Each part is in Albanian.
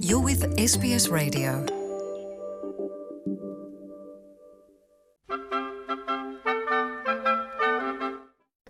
You're with SBS Radio.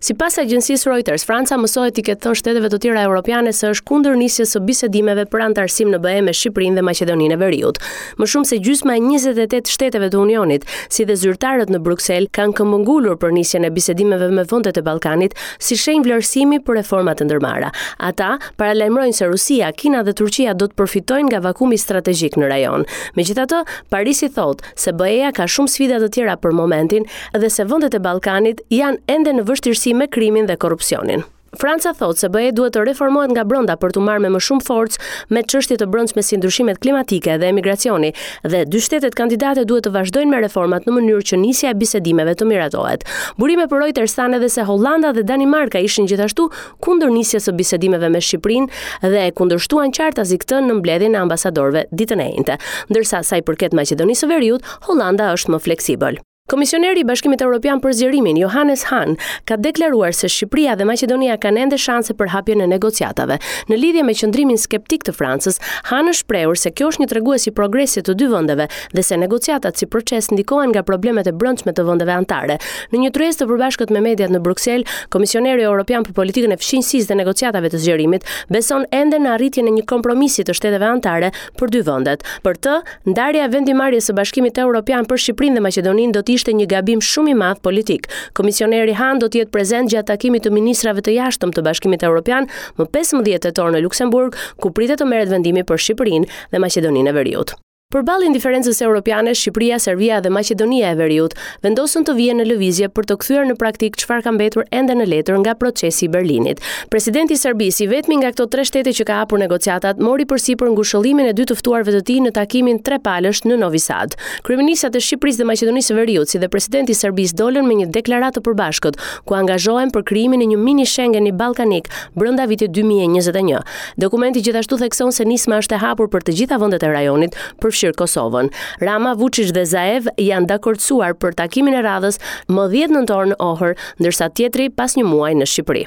Sipas agjencisë Reuters, Franca mësohet t'i ketë thënë shteteve të tjera europiane se është kundër nisjes së bisedimeve për anëtarësim në BE me Shqipërinë dhe Maqedoninë e Veriut. Më shumë se gjysma e 28 shteteve të Unionit, si dhe zyrtarët në Bruksel, kanë këmbëngulur për nisjen e bisedimeve me vendet e Ballkanit si shenjë vlerësimi për reformat e ndërmarra. Ata paralajmërojnë se Rusia, Kina dhe Turqia do të përfitojnë nga vakumi strategjik në rajon. Megjithatë, Parisi thotë se BE-ja ka shumë sfida të tjera për momentin dhe se vendet e Ballkanit janë ende në vështirësi me krimin dhe korrupsionin. Franca thotë se BE duhet të reformohet nga brenda për t'u marrë me më shumë forcë me çështje të brendshme si ndryshimet klimatike dhe emigracioni dhe dy shtetet kandidate duhet të vazhdojnë me reformat në mënyrë që nisja e bisedimeve të miratohet. Burime për Reuters thanë edhe se Hollanda dhe Danimarka ishin gjithashtu kundër nisjes së bisedimeve me Shqipërinë dhe e kundërshtuan qartazi këtë në mbledhjen e ambasadorëve ditën e enjte. Ndërsa sa i përket Maqedonisë së Veriut, Hollanda është më fleksibël. Komisioneri i Bashkimit Evropian për Zgjerimin, Johannes Hahn, ka deklaruar se Shqipëria dhe Maqedonia kanë ende shanse për hapjen e negociatave. Në lidhje me qëndrimin skeptik të Francës, Hahn është shprehur se kjo është një tregues i progresit të dy vendeve dhe se negociatat si proces ndikohen nga problemet e brendshme të vendeve anëtare. Në një tryezë të përbashkët me mediat në Bruksel, Komisioneri Europian për Politikën e Fqinjësisë dhe Negociatave të Zgjerimit beson ende në arritjen e një kompromisi të shteteve anëtare për dy vendet. Për të, ndarja e vendimmarrjes së Bashkimit Europian për Shqipërinë dhe Maqedoninë do të ishte një gabim shumë i madh politik. Komisioneri Hahn do të jetë prezent gjatë takimit të ministrave të jashtëm të Bashkimit Europian më 15 tetor në Luksemburg, ku pritet të merret vendimi për Shqipërinë dhe Maqedoninë e Veriut. Përballë indiferencës europiane, Shqipëria, Serbia dhe Maqedonia e Veriut vendosën të vihen në lëvizje për të kthyer në praktikë çfarë ka mbetur ende në letër nga procesi i Berlinit. Presidenti i Serbisë, i vetmi nga këto tre shtete që ka hapur negociatat, mori përsipër ngushëllimin e dy të ftuarve të tij në takimin trepalësh në Novi Sad. Kryeministrat e Shqipërisë dhe Maqedonisë së Veriut, si dhe presidenti i Serbisë dolën me një deklaratë të përbashkët, ku angazhohen për krijimin e një mini Schengeni ballkanik brenda vitit 2021. Dokumenti gjithashtu thekson se nisma është e hapur për të gjitha vendet e rajonit, përfshirë Kosovën. Rama, Vuçiç dhe Zaev janë dakordësuar për takimin e radhës më 10 nëntor në Ohër, ndërsa tjetri pas një muaji në Shqipëri.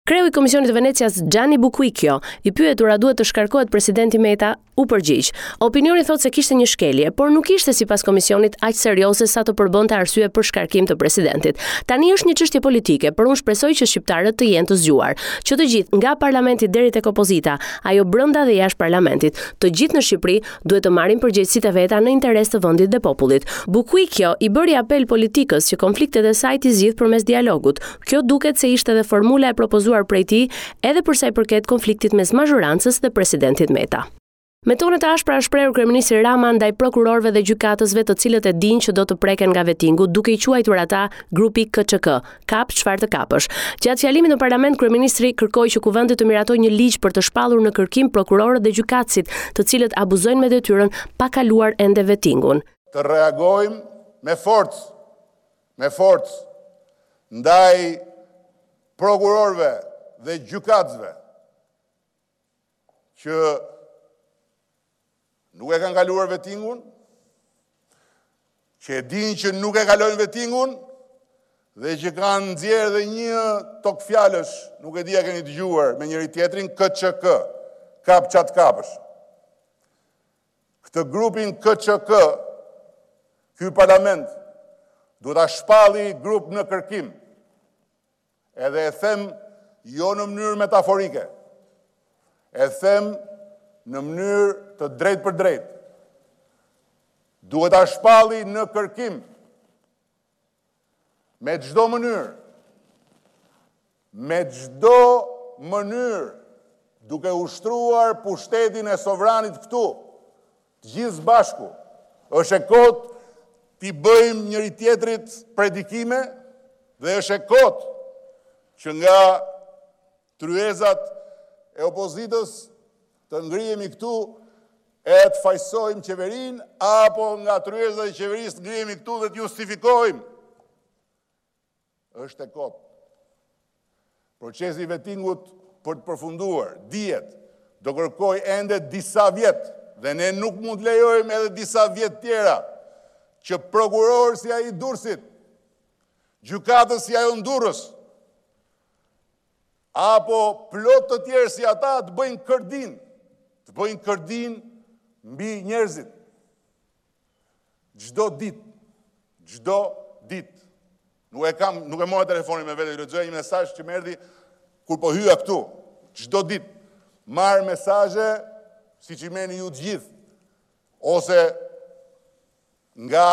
Kreu i Komisionit të Venecias Gianni Buquicchio, i pyetur a duhet të shkarkohet presidenti Meta, u përgjigj. Opinioni thotë se kishte një shkelje, por nuk ishte sipas komisionit aq serioze sa të përbënte arsye për shkarkim të presidentit. Tani është një çështje politike, por unë shpresoj që shqiptarët të jenë të zgjuar, që të gjithë, nga parlamenti deri tek opozita, ajo brenda dhe jashtë parlamentit, të gjithë në Shqipëri duhet të marrin përgjegjësitë e veta në interes të vendit dhe popullit. Buquicchio i bëri apel politikës që konfliktet e saj t'i zgjidhë përmes dialogut. Kjo duket se ishte edhe formula e propozuar prej tij edhe për sa i përket konfliktit mes mazhorancës dhe presidentit Meta. Me tone të ashpra është shprehur kryeministri Rama ndaj prokurorëve dhe gjykatësve të cilët e dinë që do të preken nga vetingu, duke i quajtur ata grupi KÇK, kap çfarë të kapësh. Gjatë fjalimit në parlament kryeministri kërkoi që kuvendi të miratojë një ligj për të shpallur në kërkim prokurorët dhe gjykatësit, të cilët abuzojnë me detyrën pa kaluar ende vetingun. Të reagojmë me forcë, me forcë ndaj prokurorëve dhe gjykatësve që nuk e kanë kaluar vetingun, që e dinë që nuk e kalojnë vetingun dhe që kanë nxjerrë dhe një togfjalësh, nuk e di a keni dëgjuar me njëri-tjetrin KÇK, kap ça të kapësh. Këtë grupin KÇK, ky parlament duhet ta shpalli grup në kërkim. Edhe e them jo në mënyrë metaforike. E them në mënyrë të drejtpërdrejtë. Duhet ta shpalli në kërkim me çdo mënyrë. Me çdo mënyrë duke ushtruar pushtetin e sovranit këtu, të gjithë së bashku, është e kotë t'i bëjmë njëri-tjetrit predikime dhe është e kotë që nga tryezat e opozitës të ngrihemi këtu e të fajësojmë qeverinë apo nga tryezat e qeverisë të ngrihemi këtu dhe të justifikojmë. Është e kotë. Procesi i vetingut për të përfunduar, dihet, do kërkojë ende disa vjet dhe ne nuk mund të lejojmë edhe disa vjet tjera që prokurorë si ai i Durrësit, gjykatës si ajo në Durrës, apo plot të tjerë si ata të bëjnë kërdinë, të bëjnë kërdinë. mbi njerëzit. Çdo ditë, çdo ditë. Nuk e kam, nuk e mora telefonin me vete, ju lexoja një mesazh që më erdhi kur po hyja këtu. Çdo ditë marr mesazhe siç i merrni ju të gjithë ose nga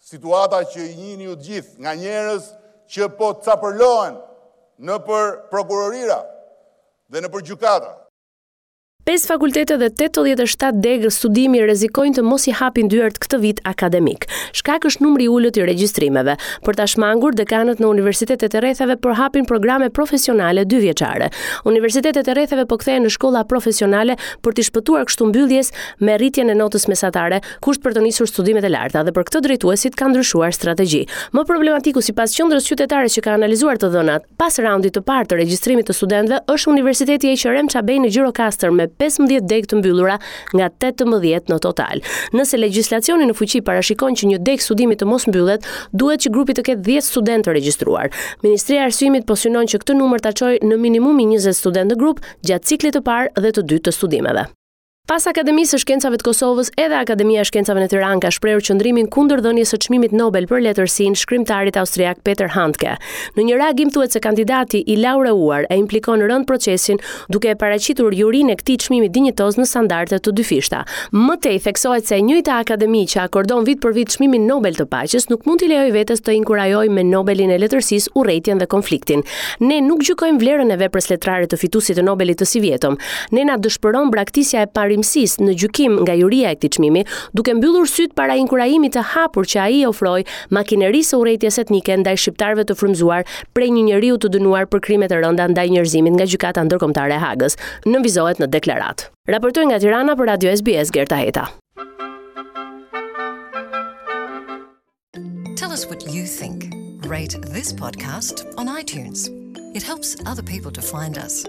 situata që i njihni ju të gjithë, nga njerëz që po capërlohen nëpër prokurorira dhe nëpër gjykata. Pesë fakultete dhe 87 degë studimi rrezikojnë të mos i hapin dyert këtë vit akademik. Shkak është numri i ulët i regjistrimeve. Për ta shmangur, dekanët në universitetet e rretheve po hapin programe profesionale dyvjeçare. Universitetet e rretheve po kthehen në shkolla profesionale për t'i shpëtuar kështu mbylljes me rritjen e notës mesatare, kusht për të nisur studimet e larta dhe për këtë drejtuesit kanë ndryshuar strategji. Më problematiku sipas qendrës qytetare që ka analizuar të dhënat, Pas raundit të parë të regjistrimit të studentëve është Universiteti Eqerem Çabej në Gjirokastër me 15 degë të mbyllura nga 18 në total. Nëse legjislacioni në fuqi parashikon që një degë studimi të mos mbyllet, duhet që grupi të ketë 10 studentë të regjistruar. Ministria e Arsimit po synon që këtë numër ta çojë në minimumi 20 studentë në grup gjatë ciklit të parë dhe të dytë të studimeve. Pas Akademisë së Shkencave të Kosovës, edhe Akademia e Shkencave në Tiranë ka shprehur qëndrimin kundër dhënies së çmimit Nobel për letërsinë shkrimtarit austriak Peter Handke. Në një reagim thuhet se kandidati i laureuar e implikon rëndë procesin duke e paraqitur jurinë e këtij çmimi dinjitoz në standarde të dyfishta. Më tej theksohet se e njëjta akademi që akordon vit për vit çmimin Nobel të Paqes nuk mund t'i lejojë vetes të inkurajojë me Nobelin e letërsisë urrejtjen dhe konfliktin. Ne nuk gjykojmë vlerën e veprës letrare të fituesit të Nobelit të sivjetëm. Ne na dëshpëron braktisja e parimësisë në gjykim nga juria e këtij çmimi, duke mbyllur sytë para inkurajimit të hapur që ai i ofroi makinerisë së urrejtjes etnike ndaj shqiptarëve të frymëzuar prej një njeriu të dënuar për krime të rënda ndaj njerëzimit nga Gjykata Ndërkombëtare e Hagës, nënvizohet në deklaratë. Raportoi nga Tirana për Radio SBS Gerta Heta. Tell us what you think. Rate this podcast on iTunes. It helps other people to find us.